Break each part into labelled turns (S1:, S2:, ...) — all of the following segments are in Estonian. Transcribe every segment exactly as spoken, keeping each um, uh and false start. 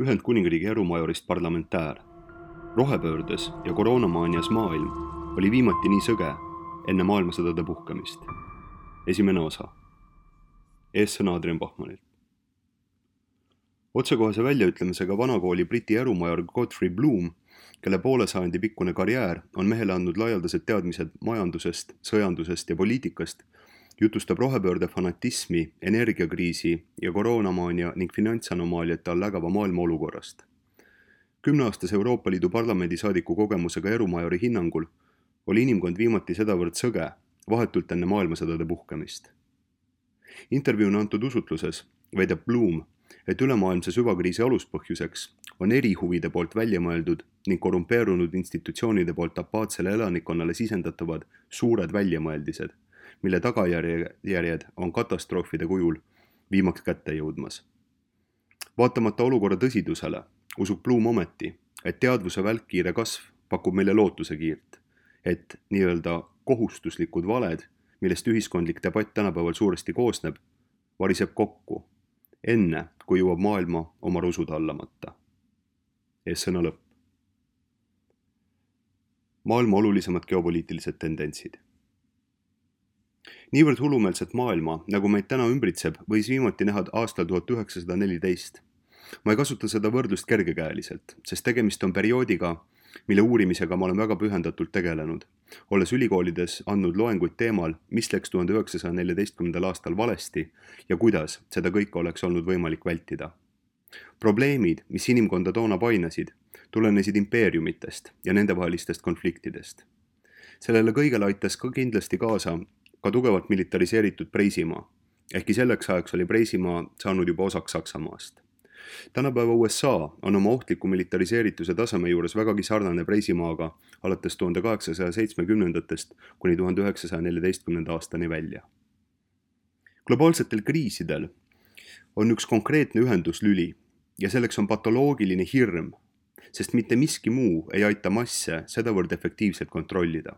S1: Ühendkuningriigi erumajorist parlamentäär. Rohepöördes ja koroonamaanias maailm oli viimati nii sõge enne maailmasõdade puhkemist. Esimene osa. Eessõna Adrian Bachmanilt. Otsekohese väljaütlemisega vanakooli Briti erumajor Godfrey Bloom, kelle poole sajandi pikkune karjäär on mehele andnud laialdased teadmised majandusest, sõjandusest ja poliitikast, jutustab rohepöörde fanatismi, energiakriisi ja koroonamaania ning finantsanomaaliate all ägava maailma olukorrast. Kümneaastase Euroopa Liidu parlamendi saadiku kogemusega erumajori hinnangul oli inimkond viimati sedavõrd sõge, vahetult enne maailmasõdade puhkemist. Intervjuuna antud usutluses väidab Bloom, et ülemaailmse süvakriisi aluspõhjuseks on erihuvide poolt välja mõeldud ning korrumpeerunud institutsioonide poolt apaatsele elanikkonnale sisendatavad suured väljamõeldised, mille tagajärjed on katastroofide kujul viimaks kätte jõudmas. Vaatamata olukorra tõsidusele usub Bloom ometi, et teadvuse välkkiire kasv pakub meile lootuse kiirt, et nii-öelda kohustuslikud valed, millest ühiskondlik debatt tänapäeval suuresti koosneb, variseb kokku, enne kui jõuab maailma oma rusud hallamata. Eessõna lõpp. Maailma olulisemad geopoliitilised tendentsid. Niivõrd hullumeelset maailma, nagu meid täna ümbritseb, võis viimati näha aastal tuhat üheksasada neliteist. Ma ei kasuta seda võrdlust kergekäeliselt, sest tegemist on perioodiga, mille uurimisega ma olen väga pühendatult tegelenud, olles ülikoolides andnud loenguid teemal, mis läks tuhande üheksasaja neljateistkümnendal aastal valesti ja kuidas seda kõike oleks olnud võimalik vältida. Probleemid, mis inimkonda toona painasid, tulenesid impeeriumitest ja nendevahelistest konfliktidest. Sellele kõigele aitas ka kindlasti kaasa ka tugevalt militariseeritud Preisimaa, ehkki selleks ajaks oli Preisimaa saanud juba osaks Saksamaast. Tänapäeva U S A on oma ohtliku militariseerituse taseme juures vägagi sarnane Preisimaaga alates tuhande kaheksasaja seitsmekümnendatest kuni tuhande üheksasaja neljateistkümnenda aastani välja. Globaalsetel kriisidel on üks konkreetne ühenduslüli ja selleks on patoloogiline hirm, sest mitte miski muu ei aita masse sedavõrd efektiivselt kontrollida.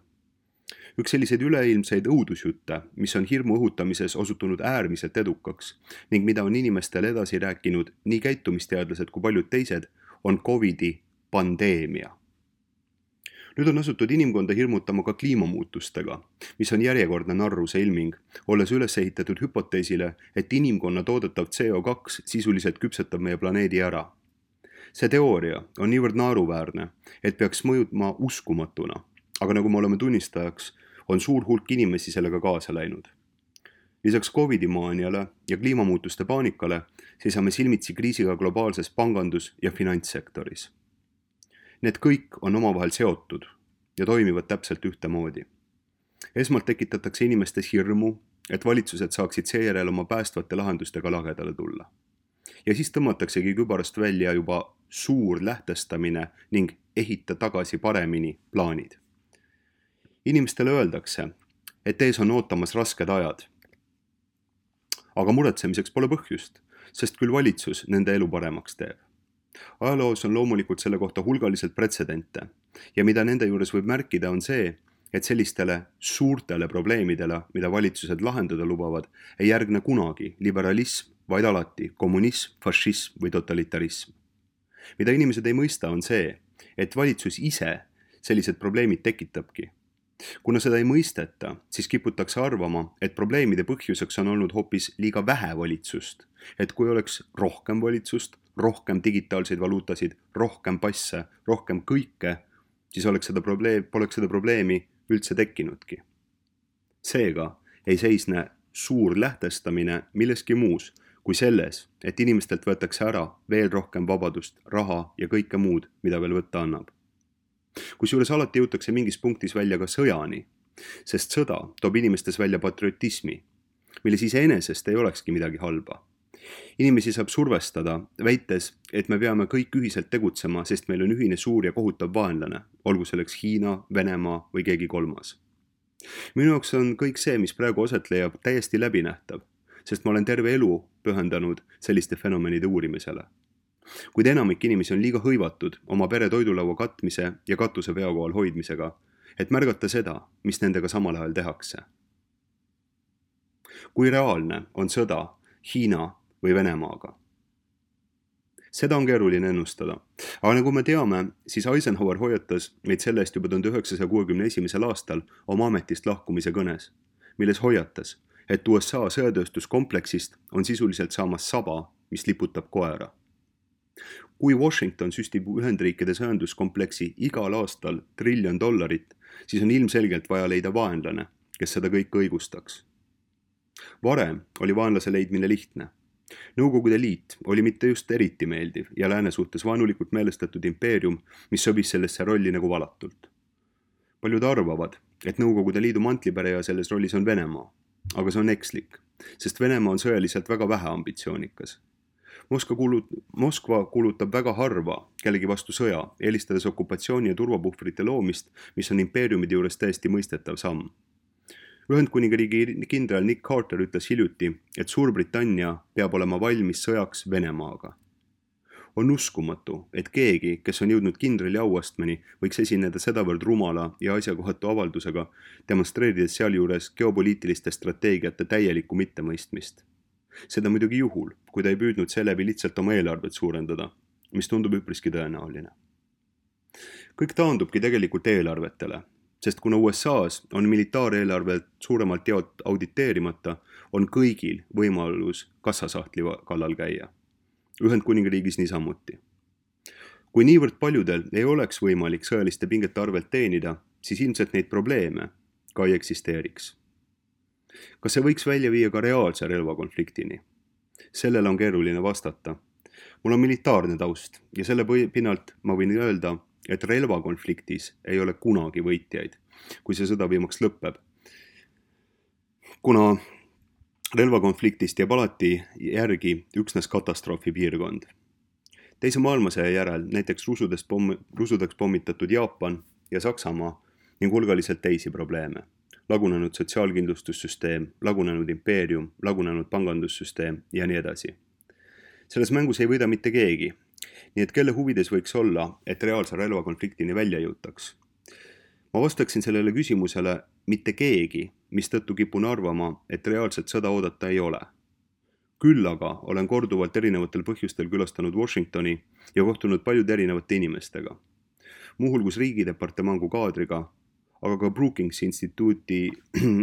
S1: Üks selliseid üleilmseid õudusjutte, mis on hirmu õhutamises osutunud äärmiselt edukaks ning mida on inimestele edasi rääkinud nii käitumisteadlased kui paljud teised, on Covidi pandeemia. Nüüd on asutud inimkonda hirmutama ka kliimamuutustega, mis on järjekordne narruse ilming, olles üles ehitatud hüpoteesile, et inimkonna toodetav C O kaks sisuliselt küpsetab meie planeedi ära. See teooria on niivõrd naeruväärne, et peaks mõjutama uskumatuna, aga nagu me oleme tunnistajaks, on suur hulk inimesi sellega kaasa läinud. Lisaks Covidi maaniale ja kliimamuutuste paanikale seisame silmitsi kriisiga globaalses pangandus- ja finantssektoris. Need kõik on omavahel seotud ja toimivad täpselt ühtemoodi. Esmalt tekitatakse inimestes hirmu, et valitsused saaksid seejärel oma päästvate lahendustega lagedale tulla. Ja siis tõmmataksegi kübarast välja juba suur lähtestamine ning ehita tagasi paremini plaanid. Inimestele öeldakse, et ees on ootamas rasked ajad. Aga muretsemiseks pole põhjust, sest küll valitsus nende elu paremaks teeb. Ajaloos on loomulikult selle kohta hulgaliselt pretsedente ja mida nende juures võib märkida on see, et sellistele suurtele probleemidele, mida valitsused lahendada lubavad, ei järgne kunagi liberalism, vaid alati kommunism, fašism või totalitarism. Mida inimesed ei mõista on see, et valitsus ise sellised probleemid tekitabki. Kuna seda ei mõisteta, siis kiputakse arvama, et probleemide põhjuseks on olnud hoopis liiga vähe valitsust, et kui oleks rohkem valitsust, rohkem digitaalseid valuutasid, rohkem passe, rohkem kõike, siis oleks seda probleem, poleks seda probleemi üldse tekkinudki. Seega ei seisne suur lähtestamine milleski muus kui selles, et inimestelt võetakse ära veel rohkem vabadust, raha ja kõike muud, mida veel võtta annab. Kusjuures alati jõutakse mingis punktis välja ka sõjani, sest sõda toob inimestes välja patriotismi, milles iseenesest ei olekski midagi halba. Inimesi saab survestada, väites, et me peame kõik ühiselt tegutsema, sest meil on ühine suur ja kohutav vaenlane, olgu selleks Hiina, Venemaa või keegi kolmas. Minu jaoks on kõik see, mis praegu aset leiab, täiesti läbinähtav, sest ma olen terve elu pühendanud selliste fenomenide uurimisele. Kuid enamik inimesi on liiga hõivatud oma pere toidulaua katmise ja katuse veokohal hoidmisega, et märgata seda, mis nendega samal ajal tehakse. Kui reaalne on sõda Hiina või Venemaaga? Seda on keeruline ennustada. Aga nagu me teame, siis Eisenhower hoiatas meid selle eest juba tuhande üheksasaja kuuekümne esimesel aastal oma ametist lahkumise kõnes, milles hoiatas, et U S A sõjatööstuskompleksist on sisuliselt saamas saba, mis liputab koera. Kui Washington süstib Ühendriikide sõjanduskompleksi igal aastal triljon dollarit, siis on ilmselgelt vaja leida vaenlane, kes seda kõike õigustaks. Varem oli vaenlase leidmine lihtne. Nõukogude Liit oli mitte just eriti meeldiv ja lääne suhtes vaenulikult meelestatud impeerium, mis sobis sellesse rolli nagu valatult. Paljud arvavad, et Nõukogude Liidu mantlipäreja selles rollis on Venemaa, aga see on ekslik, sest Venemaa on sõjaliselt väga vähe ambitsioonikas. Moskva, kulut, Moskva kulutab väga harva kellegi vastu sõja, eelistades okupatsiooni ja turvapuhvrite loomist, mis on impeeriumide juures täiesti mõistetav samm. Ühendkuningriigi kindral Nick Carter ütles hiljuti, et Suurbritannia peab olema valmis sõjaks Venemaaga. On uskumatu, et keegi, kes on jõudnud kindrali auastmeni, võiks esineda sedavõrd rumala ja asjakohatu avaldusega, demonstreerides sealjuures geopoliitiliste strateegiate täielikku mittemõistmist. Seda muidugi juhul, kui ta ei püüdnud seeläbi lihtsalt oma eelarvet suurendada, mis tundub üpriski tõenäoline. Kõik taandubki tegelikult eelarvetele, sest kuna U S A-s on militaareelarvelt suuremalt jaot auditeerimata, on kõigil võimalus kassasahtli kallal käia. Ühendkuningriigis niisamuti. Kui niivõrd paljudel ei oleks võimalik sõjaliste pingete arvelt teenida, siis ilmselt neid probleeme ka ei eksisteeriks. Kas see võiks välja viia ka reaalse relvakonfliktini? Sellele on keeruline vastata. Mul on militaarne taust ja selle pinnalt ma võin öelda, et relvakonfliktis ei ole kunagi võitjaid, kui see sõda viimaks lõpeb. Kuna relvakonfliktist jääb alati järgi üksnes katastroofi piirkond. Teise maailmasõja järel näiteks rusudest pomm, rusudeks pommitatud Jaapan ja Saksamaa ning hulgaliselt teisi probleeme. Lagunenud sotsiaalkindlustussüsteem, lagunenud impeerium, lagunenud pangandussüsteem ja nii edasi. Selles mängus ei võida mitte keegi, nii et kelle huvides võiks olla, et reaalse relvakonfliktini välja jõutaks. Ma vastaksin sellele küsimusele mitte keegi, mistõttu kipun arvama, et reaalset sõda oodata ei ole. Küll aga olen korduvalt erinevatel põhjustel külastanud Washingtoni ja kohtunud paljude erinevate inimestega. Muuhulgus riigidepartemangu kaadriga, aga ka Brookings instituudi,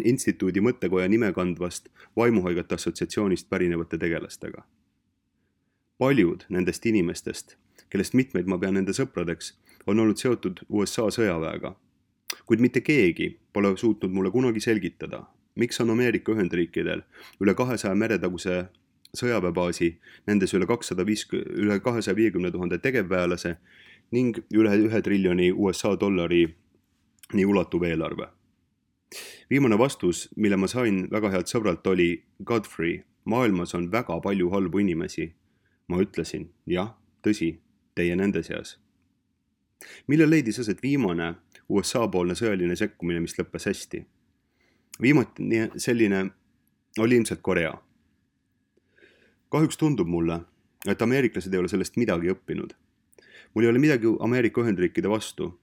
S1: instituudi mõttekoja nime kandvast vaimuhaigate assotsiatsioonist pärinevate tegelastega. Paljud nendest inimestest, kellest mitmeid ma pean nende sõpradeks, on olnud seotud U S A sõjaväega, kuid mitte keegi pole suutnud mulle kunagi selgitada, miks on Ameerika Ühendriikidel üle kahesaja meretaguse sõjaväebaasi, nendes üle kahesaja viiekümne tuhande tegevväelase ning üle ühe triljoni U S A dollari nii ulatuv eelarve. Viimane vastus, mille ma sain väga healt sõbralt, oli Godfrey, maailmas on väga palju halbu inimesi. Ma ütlesin, jah, tõsi, teie nende seas. Millal leidis aset viimane U S A-poolne sõjaline sekkumine, mis lõppes hästi? Viimati selline oli ilmselt Korea. Kahjuks tundub mulle, et ameeriklased ei ole sellest midagi õppinud. Mul ei ole midagi Ameerika Ühendriikide vastu.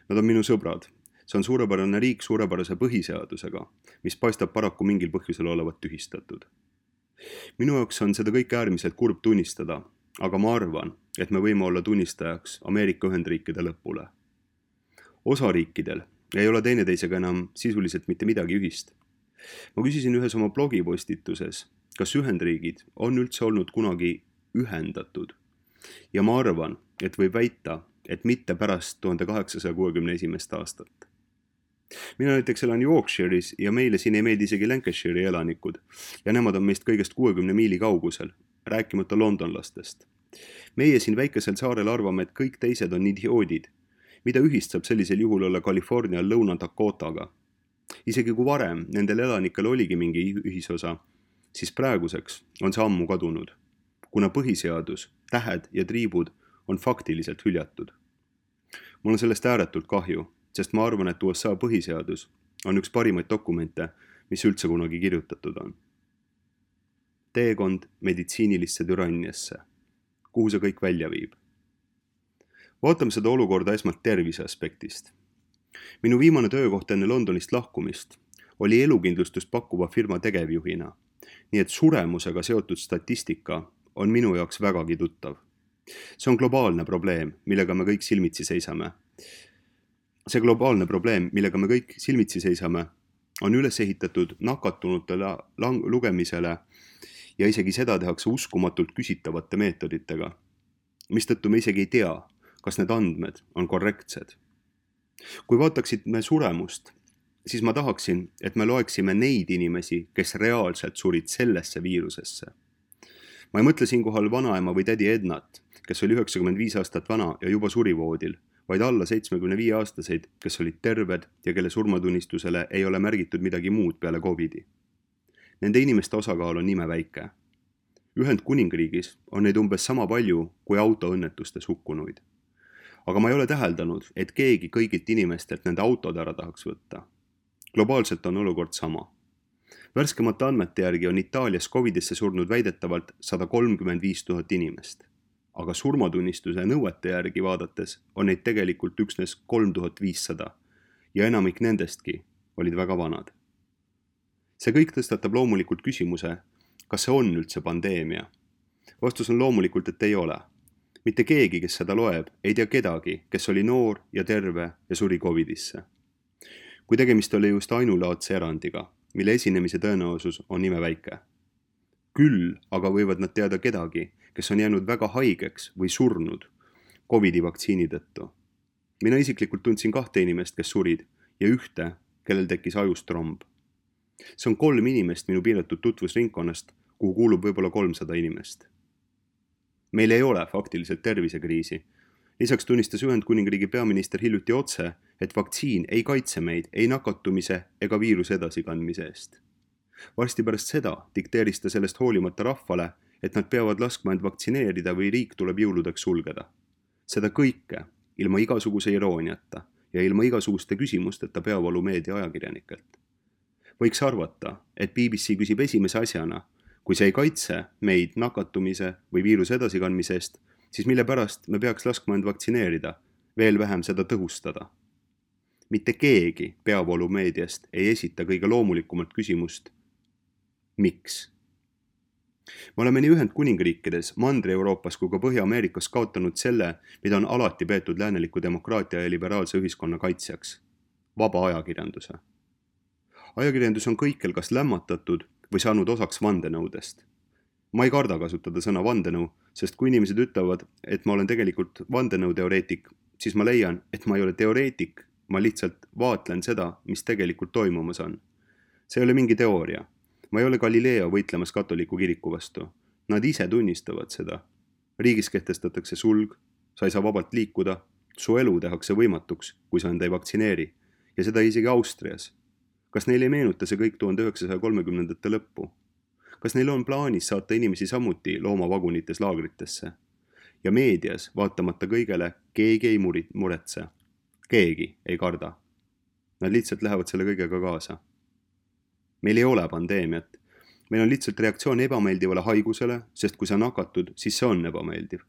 S1: Nad on minu sõbrad. See on suurepärane riik suurepärase põhiseadusega, mis paistab paraku mingil põhjusel olevat tühistatud. Minu jaoks on seda kõik äärmiselt kurb tunnistada, aga ma arvan, et me võime olla tunnistajaks Ameerika Ühendriikide lõpule. Osariikidel ei ole teineteisega enam sisuliselt mitte midagi ühist. Ma küsisin ühes oma blogipostituses, kas Ühendriigid on üldse olnud kunagi ühendatud ja ma arvan, et võib väita, et mitte pärast tuhande kaheksasaja kuuekümne esimest aastat. Mina näiteks elan Yorkshire'is ja meile siin ei meeldi isegi Lancashire'i elanikud ja nemad on meist kõigest kuuekümne miili kaugusel, rääkimata londonlastest. Meie siin väikesel saarel arvame, et kõik teised on idioodid. Mida ühist saab sellisel juhul olla California Lõuna-Dakotaga? Isegi kui varem nendel elanikel oligi mingi ühisosa, siis praeguseks on see ammu kadunud, kuna põhiseadus, tähed ja triibud on faktiliselt hüljatud. Mul on sellest ääretult kahju, sest ma arvan, et U S A põhiseadus on üks parimaid dokumente, mis üldse kunagi kirjutatud on. Teekond meditsiinilisse türanniasse. Kuhu see kõik välja viib? Vaatame seda olukorda esmalt tervise aspektist. Minu viimane töökoht enne Londonist lahkumist oli elukindlustust pakkuva firma tegevjuhina, nii et suremusega seotud statistika on minu jaoks vägagi tuttav. See on globaalne probleem, millega me kõik silmitsi seisame. See globaalne probleem, millega me kõik silmitsi seisame, on üles ehitatud nakatunute lang- lugemisele ja isegi seda tehakse uskumatult küsitavate meetoditega, mistõttu me isegi ei tea, kas need andmed on korrektsed. Kui vaataksid me suremust, siis ma tahaksin, et me loeksime neid inimesi, kes reaalselt surid sellesse viirusesse. Ma ei mõtle siinkohal vanaema või tädi Ednat, kes oli üheksakümmend viis aastat vana ja juba suri voodil, vaid alla seitsmekümne viie aastaseid, kes olid terved ja kelle surmatunnistusele ei ole märgitud midagi muud peale Covidi. Nende inimeste osakaal on imeväike. Ühendkuningriigis on neid umbes sama palju kui autoõnnetustes hukkunuid. Aga ma ei ole täheldanud, et keegi kõigilt inimestelt nende autod ära tahaks võtta. Globaalselt on olukord sama. Värskemate andmete järgi on Itaalias Covidisse surnud väidetavalt sada kolmkümmend viis tuhat inimest, aga surmatunnistuse nõuete järgi vaadates on neid tegelikult üksnes kolm tuhat viissada ja enamik nendestki olid väga vanad. See kõik tõstatab loomulikult küsimuse, kas see on üldse pandeemia? Vastus on loomulikult, et ei ole. Mitte keegi, kes seda loeb, ei tea kedagi, kes oli noor ja terve ja suri Covidisse. Kui tegemist oli just ainulaadse erandiga, mille esinemise tõenäosus on imeväike. Küll aga võivad nad teada kedagi, kes on jäänud väga haigeks või surnud Covidi vaktsiini tõttu. Mina isiklikult tundsin kahte inimest, kes surid ja ühte, kellel tekkis ajust tromb. See on kolm inimest minu piiratud tutvusringkonnast, kuhu kuulub võib-olla kolmsada inimest. Meil ei ole faktiliselt tervisekriisi. Lisaks tunnistas Ühendkuningriigi peaminister hiljuti otse, et vaktsiin ei kaitse meid ei nakatumise ega viiruse edasikandmise eest. Varsti pärast seda dikteeris ta sellest hoolimata rahvale, et nad peavad laskma end vaktsineerida või riik tuleb jõuludeks sulgeda. Seda kõike ilma igasuguse irooniata ja ilma igasuguste küsimusteta peavoolumeedia ajakirjanikelt. Võiks arvata, et B B C küsib esimese asjana, kui see ei kaitse meid nakatumise või viiruse edasikandmise eest, siis mille pärast me peaks laskma end vaktsineerida, veel vähem seda tõhustada. Mitte keegi peavoolumeediast ei esita kõige loomulikumalt küsimust, miks? Me oleme nii Ühendkuningriikides, Mandri-Euroopas kui ka Põhja-Ameerikas kaotanud selle, mida on alati peetud lääneliku demokraatia ja liberaalse ühiskonna kaitsjaks. Vaba ajakirjanduse. Ajakirjandus on kõikjal kas lämmatatud või saanud osaks vandenõudest. Ma ei karda kasutada sõna vandenõu, sest kui inimesed ütlevad, et ma olen tegelikult vandenõuteoreetik, siis ma leian, et ma ei ole teoreetik, ma lihtsalt vaatlen seda, mis tegelikult toimumas on. See ei ole mingi teooria. Ma ei ole Galileo võitlemas katoliku kiriku vastu. Nad ise tunnistavad seda. Riigis kehtestatakse sulg, sa ei saa vabalt liikuda, su elu tehakse võimatuks, kui sa end ei vaktsineeri. Ja seda isegi Austrias. Kas neil ei meenuta see kõik tuhande üheksasaja kolmekümnendate lõppu? Kas neil on plaanis saata inimesi samuti loomavagunites laagritesse? Ja meedias, vaatamata kõigele, keegi ei muretse. Keegi ei karda. Nad lihtsalt lähevad selle kõigega kaasa. Meil ei ole pandeemiat. Meil on lihtsalt reaktsioon ebameeldivale haigusele, sest kui sa nakatud, siis see on ebameeldiv.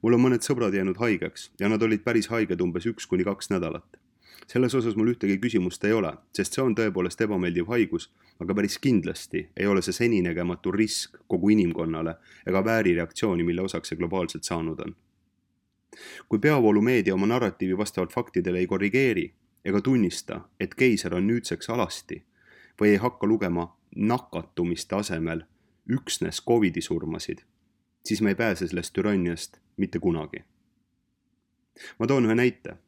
S1: Mul on mõned sõbrad jäänud haigeks ja nad olid päris haiged umbes üks kuni kaks nädalat. Selles osas mul ühtegi küsimust ei ole, sest see on tõepoolest ebameeldiv haigus, aga päris kindlasti ei ole see seninägematu risk kogu inimkonnale ega vääri reaktsiooni, mille osaks see globaalselt saanud on. Kui peavoolumeedia oma narratiivi vastavalt faktidele ei korrigeeri ega tunnista, et keiser on nüüdseks alasti või ei hakka lugema nakatumiste asemel üksnes Covidi surmasid, siis me ei pääse sellest türanniast mitte kunagi. Ma toon ühe näite.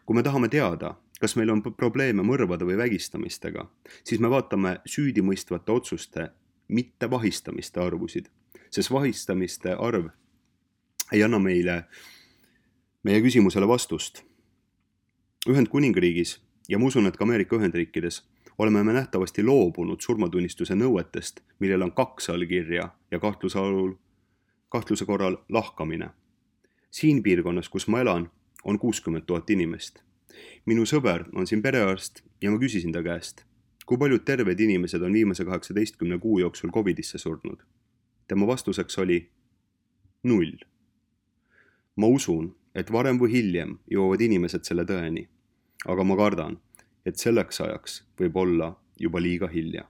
S1: Kui me tahame teada, kas meil on probleeme mõrvade või vägistamistega, siis me vaatame süüdimõistvate otsuste, mitte vahistamiste arvusid, sest vahistamiste arv ei anna meile meie küsimusele vastust. Ühendkuningriigis ja ma usun, et ka Ameerika Ühendriikides oleme me nähtavasti loobunud surmatunnistuse nõuetest, millel on kaks allkirja ja kahtluse, alul, kahtluse korral lahkamine. Siin piirkonnas, kus ma elan, on kuuskümmend tuhat inimest. Minu sõber on siin perearst ja ma küsisin ta käest, kui paljud terved inimesed on viimase kaheksateistkümne kuu jooksul Covidisse surnud. Tema vastuseks oli null. Ma usun, et varem või hiljem jõuavad inimesed selle tõeni, aga ma kardan, et selleks ajaks võib olla juba liiga hilja.